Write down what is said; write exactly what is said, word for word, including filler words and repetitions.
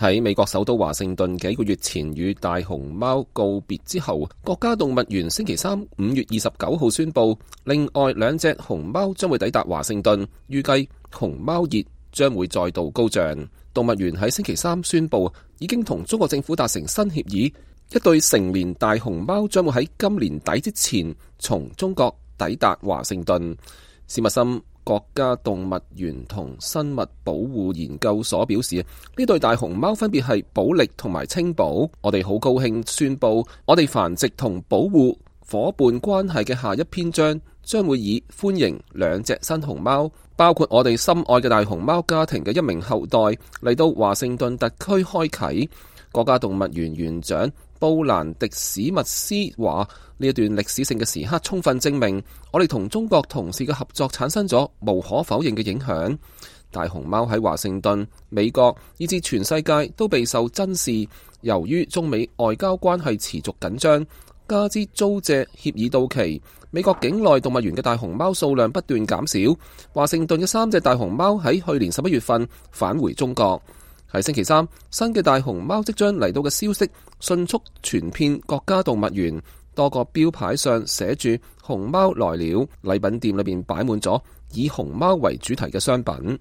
喺美國首都華盛頓幾個月前與大熊貓告別之後，國家動物園星期三五月二十九號宣布，另外兩隻熊貓將會抵達華盛頓，預計熊貓熱將會再度高漲。動物園喺星期三宣布，已經同中國政府達成新協議，一對成年大熊貓將會喺今年底之前從中國抵達華盛頓。史密森國家動物園同生物保護研究所表示，呢對大熊貓分別係保力同埋清寶。我哋好高興宣布，我哋繁殖同保護夥伴關係嘅下一篇章將會以歡迎兩隻新熊貓，包括我哋心愛嘅大熊貓家庭嘅一名後代嚟到華盛頓特區開啟。國家動物園園長布蘭迪史密斯話：呢一段歷史性嘅時刻充分證明，我哋同中國同事嘅合作產生咗無可否認嘅影響。大熊貓喺華盛頓、美國以至全世界都備受珍視。由於中美外交關係持續緊張，加之租借協議到期，美國境內動物園嘅大熊貓數量不斷減少。華盛頓嘅三隻大熊貓喺去年十一月份返回中國。喺星期三，新嘅大熊貓即將嚟到嘅消息迅速傳遍國家動物園，多個標牌上寫住熊貓來了，禮品店裏邊擺滿咗以熊貓為主題嘅商品。